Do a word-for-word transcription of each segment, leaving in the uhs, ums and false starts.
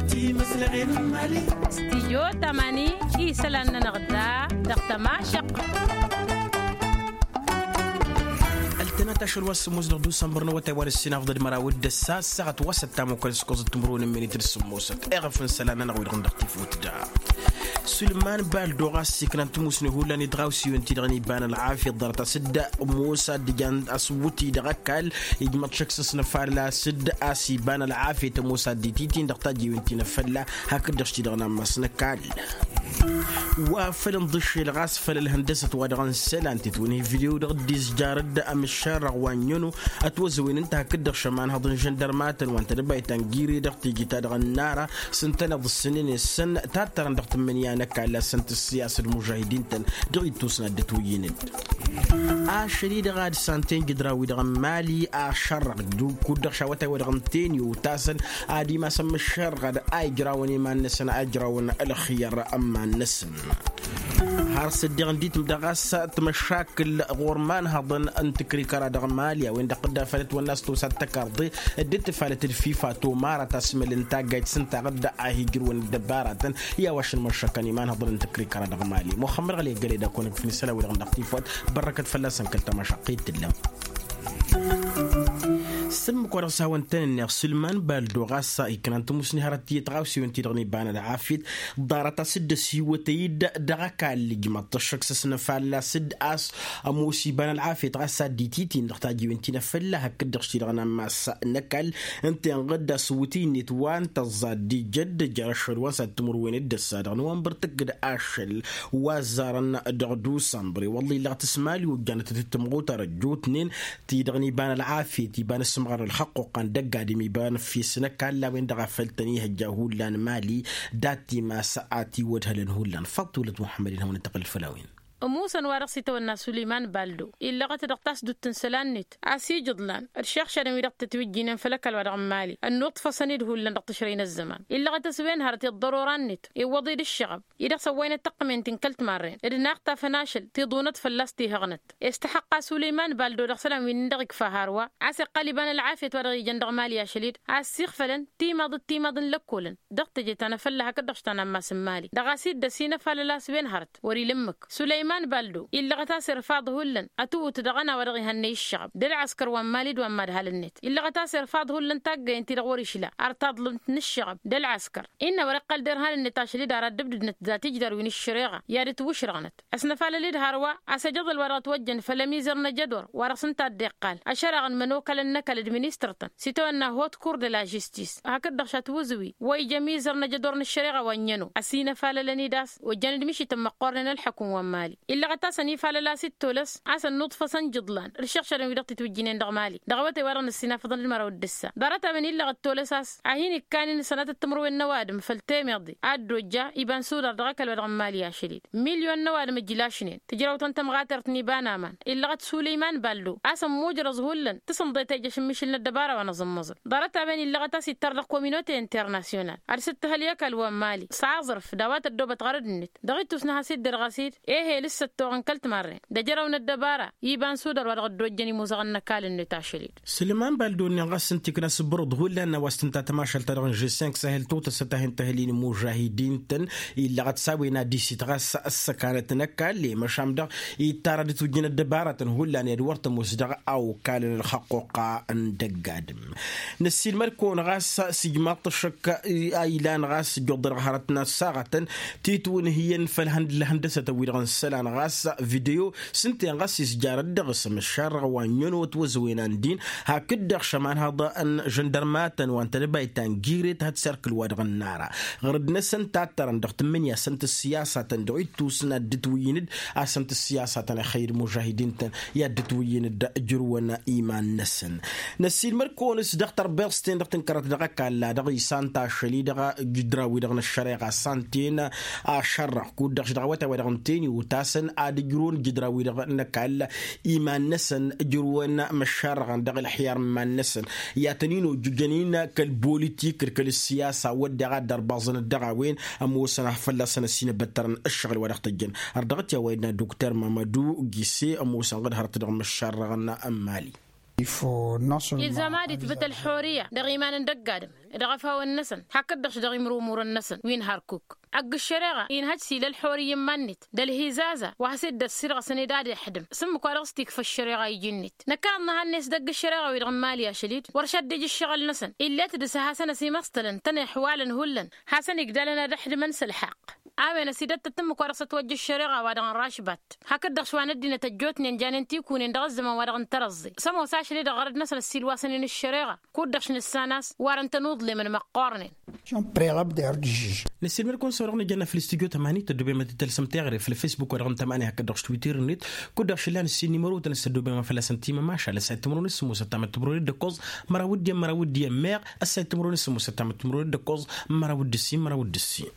Timǝslăɣen n-imali. Studyo tamani isălan-nănăɣ da dăɣ-tămašăɣt. Ăltănăt ašăl wa s-sǝmmos dăɣ-dusănbăr n-awătay wa n-ǝssin afḍăd măraw d-ǝssa ăssaɣăt wa s-ăttamukăn s-kăẓăt timǝrwen n-minit d-sǝmmosăt iɣăf n-isălan-nănăɣ wi-dăɣ n-dăɣ-tifut da. Sulman baldo ɣas iknan timusne hullan i-dăɣ-awsiwen-ti-dăɣ n-iba n-ălɣafyăt ḍarăt a-s dd-ămoos ad-dd-ǝjan asǝwwǝt-i dăɣ-ăkall ijmăḍ šăkk s-asnăfal a-s dd-as iba n-ălɣafyăt ămoos ad-dd-ititin dăɣ-tajjiwen ti n-afălla hakd-dăɣ s-ti-dăɣ n-ammas n-ăkall. Wa făl ǝnḍǝššel ɣas făll-ălhăndăsăt wa dăɣ-n isălan titwǝnhǝy video dăɣ-dd-izjar d-amǝššarrăɣ wa n-ino ătwăzăwen ǝnta hakd-dăɣ šămanhăḍ n-žăndărmatăn wa n-tedăbayt ta n-gire dăɣ-tiji-ta-dăɣ n-nara s-ǝntăneḍ ǝssǝnen i-săn tattărăn dăɣ-tǝmmǝnǝya n-ăkall a-s ǝntǝssǝyas d-mužahidin-tăn dăɣ-ittus n-ad-dd-ătwǝyyǝnǝd. Ašăl-i-dăɣ ad-santen jǝdra-wi-dăɣ n-imali ašărrăɣ kud-dăɣ šawătay wa dăɣ-ǝnten iwtasăn ad-imasăn mǝššărrăɣ-dd a ijrawăn iman-năsăn a ijrawăn ălxǝyyăr n-iman-năsăn. Har s-dd-iɣǝn ditǝm daɣ a-s tmăšakǝl ɣur-imanhăḍăn n-tǝkrikăra dăɣ-mali a-wen-dăɣ dd-afălăt wănna s-tosa d-tăkarḍe dd-tǝfalăt d-fifa tomara tasmăl n-taggayt s-ǝnta ɣǝdda a hi-ǝjrǝwăn dd-ăbbaratăn i-a-wa šăn măššăkăn imanhăḍăn n-tǝkrikăra dăɣ-mali muxămmăd ɣăli ăggălăy d-akăwăn-ǝkfǝn isălan-wi-dăɣ n-dăɣ-tifwăt. Bărrăkăt fălla-săn kăl-tamašaqq i-t-tǝllăm. Sǝmmǝk-wa-dăɣ s-hawăn-tăn-ǝnneɣ sǝlman baldo ɣas iknan tǝmusni hărăt tiyyăt ɣawsiwen-ti-dăɣ n-iba n-ălɣafyăt ḍarăt a-s dd-ăsiwătăy-dd dăɣ-ăkall ijmăḍ-t ăššăk s-asnăfall a-s dd-as ămoos iba n-ălɣafyăt ɣas ad-dd-ititin dăɣ-tajiwen ti n-afălla hakd-dăɣ s-ti-dăɣ n-ammas n-ăkall. Ǝnta inɣǝd asǝwwǝtǝy-net wa n-tăẓẓa dd-ijădd jer-ašăl wa n-sat timǝrwen d-ǝssa dăɣ-nowănbăr tǝkkǝd ašăl wa ăzzarăn dăɣ-dusănbăr i-wălla illăɣ tǝsmali ojjanăt d-tǝmmăɣutar ăjjootnen ti-dăɣ n-iba n-ălɣafyăt iba n-asǝmɣar n-ălxăqquqqa n-dăgg-adǝm iba n-ăffis n-ăkall a-wen-dăɣ a făl tăn-ihăjja hullan mali. Dat-timas a tiwădhălăn hullan faḍt wălăt muḥămmăd-in hawăn-dd-tăqqǝlăd făll-a-wen. Ămoosăn wa dăɣ-s itawănna suleyman baldo illăɣăt dăɣ-tasdut n-isălan-net a-s ijǝḍlan d-išăɣšadăn wi dăɣ-tătwǝjjinen făll-ăkall wa dăɣ-n mali ănnuḍfăsăn-dd hullan dăɣ-tǝšrăy n-ăzzăman illăɣăt a-s wen hărăt i-ăḍḍărora-net iwwăḍ-dd ǝššăɣăb-i dăɣ-săn wa inăttăqqǝmen ti n-kăl-timarren d-inaxtafăn ašăl tiḍunăt fălla-s tihăɣnăt. Istăxăqqa suleyman baldo dăɣ-isălan wi n-dăɣ-ikfa hărwa a-s iqqal iba n-ălɣafyăt wa dăɣ-ijăn dăɣ-mali ašăl-dd a ăssiixfălăn timaḍ d-timaḍ n-lăkkolăn dăɣ-teje ta n-afălla hakd-dăɣ s-ta n-ammas n-mali dăɣ-a-s dd-ăsinăfalăl a-s wen hărăt wăr-ila ǝmmǝk. Suleyman baldo illăɣăt a-s irfaḍ hullan ătuwǝt dăɣ-ăna wa dăɣ-ihănnăy ǝššăɣăb d-ălɣăskăr wa n-mali d-wa n-imadhalăn-net illăɣăt a-s irfaḍ hullan taggăyăn-ti-dăɣ wăr-išla ar taḍlǝmt n-ǝššăɣăb d-ălɣăskăr. Innă wăr-iqqăl derhan-net ašăl-dd ara ăddăbdǝdnăt dat-ijdar wi n-ǝššăreɣa i-ad-ǝtwǝšrăɣnăt ăsnăfalăl-dd hărwa a-s ăjăḍăl wa dăɣ-ătwăjjăn făll-ămizăr n-ajădor wa dăɣ-s ǝnta a dd-iqqal ašărăɣ n-imănokalăn n-ăkall d-ministăr-tăn s-itawănna hot kur d-la žistis hakd-dăɣ šat wǝzǝwi wa ija ămizăr n-ajădor n-ăššăreɣa wa n-ijăno ăsinăfalălăn-dd a-s ojjăn-dd mišităn măqqoornen ălḥukǝm wa n-mali. Illăɣăt a-s ănifalăl a-s d-tolăs a-s ănnuḍfăsăn jǝḍlan d-išăɣšadăn wi dăɣ-titwǝjjǝynen dăɣ-mali dăɣ-awătay wa dăɣ-năssinafăḍăn d-măraw d-ǝssa ḍarăt-a-wen illăɣăt tolăs a-s ad-hin-ikkanen sănatăt timǝrwen n-ăwadǝm făll-temeḍe a dd-ojja iba n-sudar dăɣ-ăkall wa dăɣ-n mali ašăl-dd milyon n-ăwadǝm ǝjlašnen tǝjraw-tăn tămɣatert n-iba n-aman illăɣăt suleyman baldo a-s ămmujrăẓ hullan tǝsǝmḍe tejăš n-mišǝl n-ăddăbara wa n-aẓǝmmăẓăl. Ḍarăt-a-wen illăɣăt a-s ittar dăɣ-kominote internasyonal ad-sǝttǝhăl i-ăkall wa n-mali s-aẓrǝf d-a-wa tăddoobăt ɣărăd-net dăɣ-ittus n-has-dd-irɣăs-dd ehel s-săttoɣ n-kăl-timarren d-ejăraw n-ăddăbara iba n-sudar wa dăɣ-ăddojjăn imuzăɣăn n-ăkall-net ašăl-dd. Sǝlman baldo-nin ɣas ǝnta ikna s-ǝbbărǝḍ hullan n-a-wa s-tǝnta tămašalt-ta-dăɣ n-žessenk sahel totăsăt a hin-tăhǝl-in imužahidin-tăn. Illăɣăt s-a-wen ad-isit ɣas ăssăkanăt n-ăkall i-măšan dăɣ-ittar ad-ǝtwǝjjǝn ăddăbaratăn hullan i-ad-wăr tămoos dăɣ-a okal n-ălxăqquqa n-dăgg-adǝm. Năssiilmăd-kăwăn ɣas s-ijmaḍ-t ăššăk a ilan ɣas ǝjjuḍ-dăɣ hărăt n-ăssaɣătăn titwǝnhǝyăn făll-ihăndăsătăn-wi-dăɣ n-isălan ɣas video s-ǝnta-en ɣas izjarăt dăɣ-s ămăššarrăɣ wa n-ănno ătwăzăwen a n-din hakd-dăɣ šămanhăḍ n-žăndărmatăn wa n-tedăbayt ta n-giret hăt serkǝl-wa-dăɣ n-nara ɣărăd-năsăn tattărăn dăɣ-tǝmmǝnǝya s-ănt ǝssiyasatăn dăɣ-ittus n-ad-dd-ǝtwǝyyǝn-dd a-s ănt ǝssiyasatăn ixăyy d-imužahidin-tăn i-ad-dd-ǝtwǝyyǝn-dd ǝjrǝwăn iman-năsăn. Năssiilmăd-kăwăn s-dăɣ-tărbăẓten dăɣ-tǝnkărăt dăɣ-ăkall a-dăɣ isant ašăl-i-dăɣ jǝdra-wi-dăɣ n-ăššăreɣa s-anten ašărrăɣ kud-dăɣ š-dăɣ awătay wa dăɣ-ǝnten i-utasăn ad-ǝjrǝwăn jǝdra-wi-dăɣ n-ăkall iman-năsăn ǝjrǝwăn măššarrăɣăn dăɣ-ălxiyar n-iman-năsăn i-ad-tăn-in-ojjǝjăn-in kăl-bolitik d-kăl-ǝssiyasa wădden a dd-ărbaẓăn-dd dăɣ-a-wen ămoosăn ad-fălla-săn ăsinăbăttărăn ǝššăɣǝl wa dăɣ-tăjjăn. Ărdăɣăt i-a-wa innă dukter mamădu gise ămoosăn ɣǝd hărăt dăɣ-măššarrăɣăn n-mali. Ilzam ad-itbǝt ălxurǝyya dăɣ-iman n-dăgg-adǝm. Dăɣ-efawăn-năsăn hakd-dăɣ-š dăɣ-imrumurăn-năsăn wi n-harkuk. Ăgg-ăššăreɣa inhăj s-ila ălḥor iyyăn iman-net d-ălhizaza wa has-dd-ăssirɣăsăn ed ad-iḥdǝm s-ǝmmǝk wa dăɣ-s t-ikfa ăššăreɣa iji-net. Năkkănăḍ nǝhannăy s-dăgg-ăššăreɣa-wi-dăɣ n-imali ašăl-dd wăr šadd-ija ǝššăɣǝl-năsăn. Ill'-e-t dăɣ-s ad-hasăn-ăsimăṣtălăn tănăyăḥwalăn hullan hasăn-igdalăn ad-ăḥdǝmăn s-ălḥaqq. A-wen ăsidăttăt ǝmmǝk wa dăɣ-s ătwăjja ăššăreɣa wa dăɣ-nrašbat hakd-dăɣ š-wa n-ăddinăt ăjjootnen janen tikunen dăɣ-ăzzăman wa dăɣ-n tărăẓẓe. S-ămoos ašăl-e-dăɣ ɣărăd-năsăn ăssiilwasăn-in ăššăreɣa kud-dăɣ š-nǝssan a-s warăn-tăn uḍlemăn măqqoornen. Nǝssilmăd-kăwăn s-a-wa dăɣ-nǝjănna făll-istudyo tămani tăddobem ad-t-tălsăm teɣăre făll-facebook wa dăɣ-n tămani hakd-dăɣ š-twitter-net. Kud-dăɣ šăllan ǝssin nimăro-tăn s-tăddobem a fălla-săn timămašal ăssayăt timărăwen s-sǝmmosăt tamăt timărăwen d-ǝkkoẓ măraw d-iyyăn măraw d-iyyăn meɣ. Ăssayăt timărăwen s-sǝmmosăt tamăt timărăwen d-ǝkkoẓ măraw d-ǝssin măraw d-ǝssin.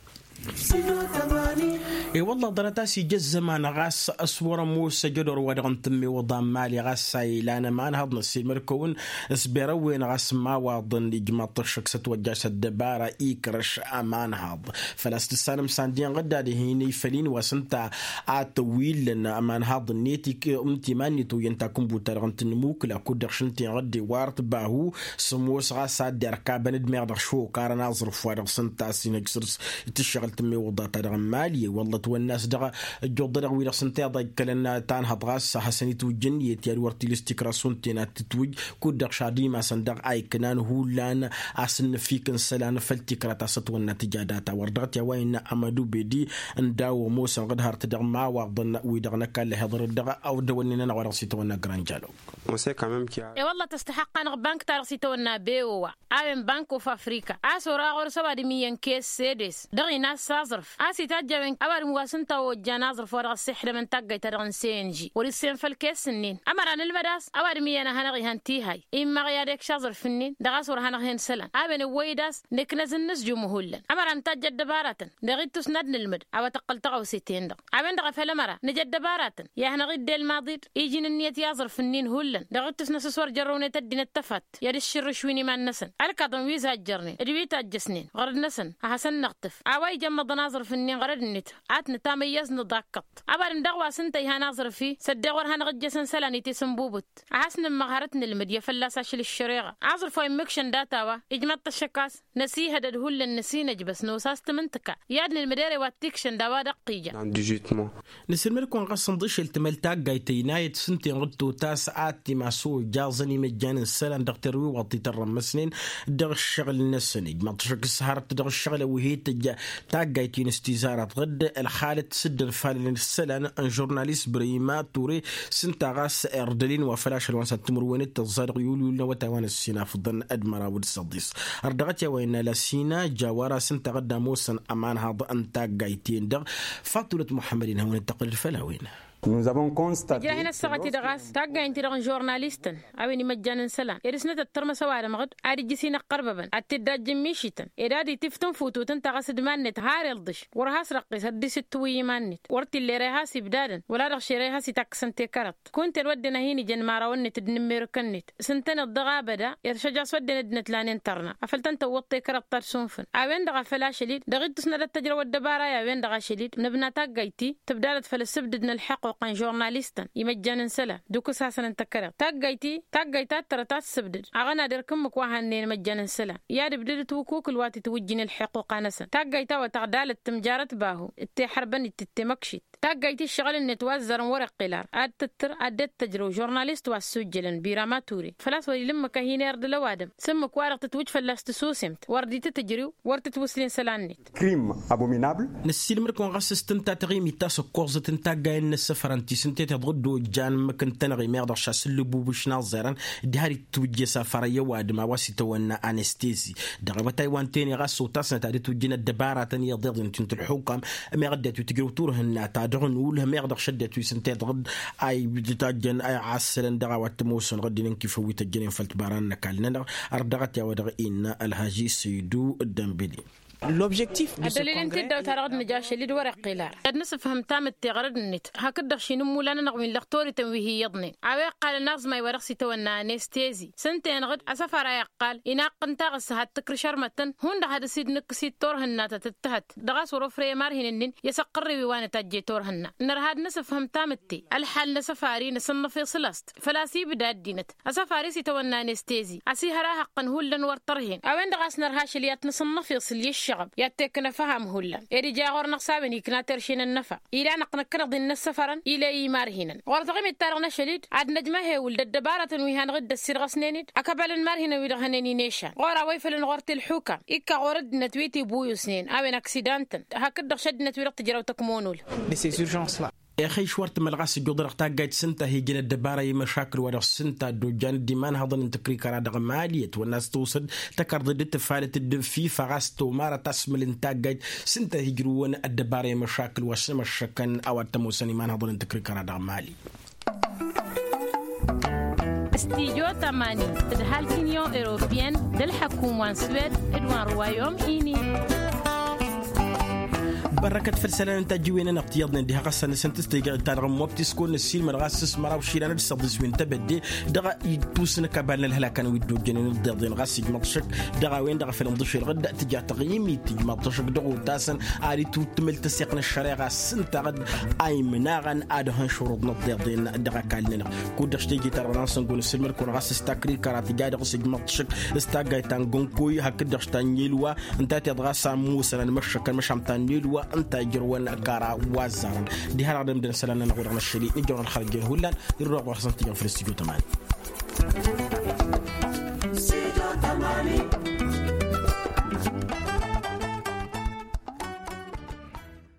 I-wălla ḍarăt a-s ija ăzzăman ɣas s-wăr-ămoos ajădor wa dăɣ-n tǝmmewăḍa n-mali ɣas a ilan ămanhăḍ năssiilmăd-kăwăn s-berăwwen ɣas n-imawaḍăn ijmaḍ-t ăššăk s-ătwăjja s-ăddăbara ikrăš ămanhăḍ. Făl-a-s tǝssanăm s-andi-inɣǝd ad-hin-ifăl-in wa s-ǝnta a tăwillăn ămanhăḍ-net ǝnta iman-net oyyăn takǝnbut-ta-dăɣ n-tǝnnǝmukǝla kud-dăɣ šăn t-inɣǝd iwar-t bahu. S-ămoos ɣas a dd-irkabăn d-meɣ dăɣ-šokarăn aẓrǝf wa dăɣ-s ǝnta a-s inhăj săr-s tǝššăɣǝl tǝmmewăḍa-ta-dăɣ n-mali wălla ătwănna a-s dăɣ-ăjjuḍădăɣ wi-dăɣ s-ǝnta iḍa ikkălăn tanhăḍ ɣas a hasăn-itwǝjjăn i-ătya d-wăr t-ila s-tikra šund tenat tǝtwǝj. Kud-dăɣ šadǝy imasăn dăɣ-a iknan hullan a-s ǝnnǝfik n-isălan făll-tikra ta s-ătwănna tǝja data wăr dăɣ-t i-a-wa innă amădu bedi. Ǝnda a-wa ămoosăn ɣǝd hărăt dăɣ-imawaḍăn wi-dăɣ n-ăkall ăhiḍărăt dăɣ-awdăwănnen-anăɣ wa dăɣ-s itawănna granja log. E-wălla tăstăhăqq-anăɣ bank-ta-dăɣ s-itawănna bewowa a-wen bank of afrika a-s ora ɣur-s ăwadǝm iyyăn kes sedes dăɣ-inas s-aẓrǝf a-s itajj a-wen ăwadǝm wa s-ǝnta ojjan aẓrǝf wa dăɣ-s ixdămăn taggayt-ta-dăɣ n-senži wăr-issem făll-kes-ǝnnin. Ămăra n-ǝlmăd a-s ăwadǝm iyyăn a hanăɣ-ihăn tihăy immaɣ i-ad-ekš aẓrǝf-ǝnnin dăɣ-a-s wăr hanăɣ-hen isălan a-wen ăwwăy-dd a-s nǝknăz-dd nǝzjum hullan ămăra nǝtajj ăddăbaratăn. Dăɣ-ittus n-ad-nǝlmǝd a-wa tăqqăl tăɣawse-ten-dăɣ a-wen-dăɣ a făl ămăra nǝj ăddăbaratăn i-ad-hanăɣ-dd-elmaḍ-dd iji n-ǝnniyăt i-aẓrǝf-ǝnnin hullan dăɣ-ittus n-asǝs wăr jărrăwnet ăddinăt tăfatt i-ad-ǝššǝrrǝš wi n-iman-năsăn ălkaḍăn wi zajjărnen d-wi tajjăsnen ɣărăd-năsăn a hasăn-năɣtǝf. A-wa ijămmăḍăn aẓrǝf-ǝnnin ɣărăd-net ad-t-nǝtamăyyăẓ nǝḍakkăḍ. Ăwadǝm daɣ wa s-ǝnta ihan aẓrǝf-i s-ăddeɣ wăr hanăɣ-ǝjjăsăn isălan i-tisǝnbubǝt a has-nǝmmăɣ hărăt n-ǝlmǝd i-fălla-s ašăl ǝššăreɣa. Aẓrǝf wa immǝkšăn data-wa ijmaḍ tăššăk a-s năsihădăd hullan năsinăjbăs nos a-s tǝmǝntǝka i-ad-nǝlmǝd ere wa t-ikšăn d-a-wa dăɣ-t ija. Nǝsǝlmăd-kăwăn ɣas ǝnḍǝšel tǝmăl taggayt ăynayăt s-ǝnta inɣǝd totas ad-t-imas ojaẓăn imăjjan n-isălan dăɣ-terwiwaḍt itărrămmăsnen dăɣ-ǝššăɣǝl-năsăn ijmaḍ-t ašăk s-hărăt dăɣ-ǝššăɣǝl ăwwihit tǝjja taggayt-in s-tizarăt ɣǝd ălxalăt s-dd-ănfalălăn isălan n-žurnalist brăyima ture. S-ǝnta ɣas irdăl-in wa făl ašăl wa n-săn timǝrwen d-tăẓẓa dăɣ-yulyul n-awătay wa n-ǝssin afǝḍăn d-măraw d-săḍis. Ărdăɣăt i-a-wa innă lasina jawara s-ǝnta ɣǝdda ămoosăn ămanhaḍ n-taggayt-in-dăɣ. Faṭulăt muḥămmăd-in hawăn-dd-tăqqǝlăd făll-a-wen. Ǝjrah-in ăssaɣăt-i-dăɣ a-s taggayt-i-dăɣ n-žurnalistăn a-wen imăjjan n-isălan ed ǝsnăt ăttărmăs ăwadǝm ɣǝd ad-ijjǝs-in ăqqărbăbăn ad-t-dd-ajj ǝmmišităn ed ad-itiftă ǝnfutut ǝnta ɣas d-iman-net har ilḍǝš wăr has-răqqis ad-dd-isǝttǝwǝy iman-net wăr t-illa ere has-ibdadăn wăla dăɣ-š ere has-itakkăsăn tekărăḍt. Kunta-en wădden a hin-ijăn imărawăn-net d-inǝmmerǝkăn-net s-ǝntăneḍ dăɣ-abăda iršăj a-s wădden ăddinăt lanen tărna afăl tăn-tăwwăḍ tekărăḍt ta d-sunfǝn. A-wen-dăɣ a făl ašăl-dd dăɣ-ittus n-ad-ăttăjrăw ăddăbara i-a-wen-dăɣ ašăl-dd nǝbna taggayt-i tǝbdadăt făll-ǝssǝbdǝd n-ălḥăqquq n-žurnalistăn imăjjan n-isălan d-ukǝs-hasăn n-tăkkăreḍt taggayt-i taggayt ta t-tărăt a tǝssǝbdǝd. Aɣăna d-erk ǝmmǝk wa hannăyăn imăjjan n-isălan i-ad-ǝbdǝdăt wǝkukǝl wa tǝtwǝjjǝn ălḥăqquq-anăsăn taggayt a-wa tăɣdalăt tǝmjarăt bahu d-teḥărbăn-dd tǝttemăkšit. Taggayt-i ǝššăɣǝl-net wa ăzzarăn wăr-iqqǝl ar ad-tǝttǝr ad-dd-tăjrăw žurnalist wa ǝssujjălăn birama ture făl-a-s wăr-ila ǝmmǝk a hin-irdǝl ăwadǝm s-ǝmmǝk-wa-dăɣ tǝtwǝj fălla-s tǝsusemt wăr dd-tǝtǝjriw wăr tǝtwǝslen isălan-net. Crime abominable. Năssiilmăd-kăwăn ɣas s-tǝnta taɣimit ta s-ǝkkoẓăt n-taggayen n-ăssăfărăn ti s-ǝnta i-tăḍɣǝddo ǝjjan ǝmmǝk ǝntănăɣ-i meɣ dăɣ-šasǝllǝbubǝš n-aẓẓerăn diha d-itwǝjje s-afăra i-ăwadǝm a-wa s-itawănna anestezi. Dăɣ-awătay wa n-tene ɣas otasnăt ad-itwǝjjǝn ăddăbaratăn iyyăḍ iḍen ti n-tǝlxukam meɣ ăddinăt wi tǝjrǝw turhǝnna ta dăɣ-nulh meɣ dăɣ-šăddinăt wi s-ǝnta iḍɣǝd a itajjăn a iɣassălăn dăɣ-a-wa t-ămoosăn ɣǝddǝn n-kifăw wi tăjjănen făll-tibara n-ăkall-nănăɣ. Ărdăɣăt i-a-wa-dăɣ innă ălhaži săydu ăddănbeli. Ăddălil n-tiddawt-a-dăɣ d-nǝja ašăl-dd wăr-iqqil ara ad-nǝsǝfhǝm tamǝtte ɣărăd-net hakd-dăɣ šinǝmmulan-anăɣ wi n-lăxtorităn wi hi-iyyăḍnen a-wa iqqalăn aẓmay wa dăɣ-s itawănna anestezi s-ǝnta-enăɣ-dd asăfar a iqqal inaqqǝn taɣǝssa had-tǝkrǝš ărmăttăn hundăɣ had-ăsidnǝkkǝs-dd turhǝnna ta tǝttăhăt dăɣ-a-s wăr-ofrăy i-imarhinăn-in i-asăqqărrew-i wa nǝtajje turhǝnna. Nărha ad-nǝsǝfhǝm tamǝtte ălxal n-asăfar-i nǝsǝnnăf iṣǝl-as-t făl-a-s ibda ăddinăt asăfar-i s-itawănna anestezi ăsihăr ahăqqăn hullan wăr tărhen a-wen-dăɣ a-s nărha ašăl i-ad-t-nǝsǝnnăf iṣǝl i-ǝššăɣăb i-ad-t-ikkǝn ăfham hullan ed ija ɣur-năɣ s-a-wen ikna terše n-ănnăfa. Ilanăɣ-t năkkăneḍ-in n-ăssăfărăn ila i-imarhinăn ɣur-dăɣ imittăr n-ašăl-dd ad-năjmăhewǝl d-ăddăbarătăn wi hanăɣ-dd-ăssirɣăsnen-dd ăkăbal n-imarhinăn wi-dăɣ hănen inešan ɣur-a-wa ifălăn ɣur-t ǝlxukam ikka ɣur-ăddinăt wi tibuyusnen a-wen aksidan-tăn hakd-dăɣ šăddinăt wi-dăɣ tǝjrăw tăkmonul. Ixăyš wăr tǝmmăl ɣas ǝjjuḍ-dăɣ taggayt s-ǝnta a hi-ijăn ăddăbara i-imăšakǝl wa dăɣ-s ǝnta a dd-ojjan d-imanhăḍăn n-tǝkrikăra dăɣ-mali ătwănna a-s tǝwsăd tăkarḍăd d-tǝfalăt d-fifa ɣas tomarăt asmǝl n-taggayt s-ǝnta a hi-ijrǝwăn ăddăbara i-imăšakǝl wa s-imăššăkăn a-wa t-ămoosăn imanhăḍăn n-tǝkrikăra dăɣ-mali. Studyo tămani d-halk union europeyăn d-ălḥăkum wa n-swed d-wa n-ruwayom ini. Bărrăkăt făll-isălan n-tajjiwen-nănăɣ tiyyăḍnen diha ɣas-anăsăn tǝstejăɣ-dd ta dăɣ-ămmob tiskon n-ăssiilmăd ɣas s-măraw išilan d-săḍis wi n-tebădde dăɣ-ittus n-ăkabal n-ălhălakăn wi dd-ojjănen ǝḍḍeḍen ɣas ijmăḍ šăkk dăɣ-a-wen-dăɣ a făl ǝnḍǝšelăɣ-dd tǝja taɣimit tǝjmăḍ-t šăkk dăɣ-otasăn ad-itwǝttǝmǝl tăseɣt n-ăššăreɣa s-ǝntaɣ-dd a imnaɣăn ad-hăn šuruḍ n-ǝḍḍeḍen dăɣ-ăkall-nănăɣ. Kud-dăɣ s-teje-ta-dăɣ n-ad-săn ăngo n-asǝlmăd-kăwăn ɣas s-takrikăra tǝja dăɣ-s ijmăḍ-t šăkk s-taggayt ta n-gănkoy hakd-dăɣ s-ta n-ilwa ǝnta a tiḍ ɣas a ămoosăn ad-măššăkăn măšan ta n-ilwa ǝnta a ijrăwăn kăra wa ăzzarăn. Diha-dăɣ dăɣ-imdăn isălan-nănăɣ wa dăɣ-năššăli nǝjrăwăn ălxărăjjăn hullan. Irrăɣ wa ɣas n-tijăn făll-studyo tămani.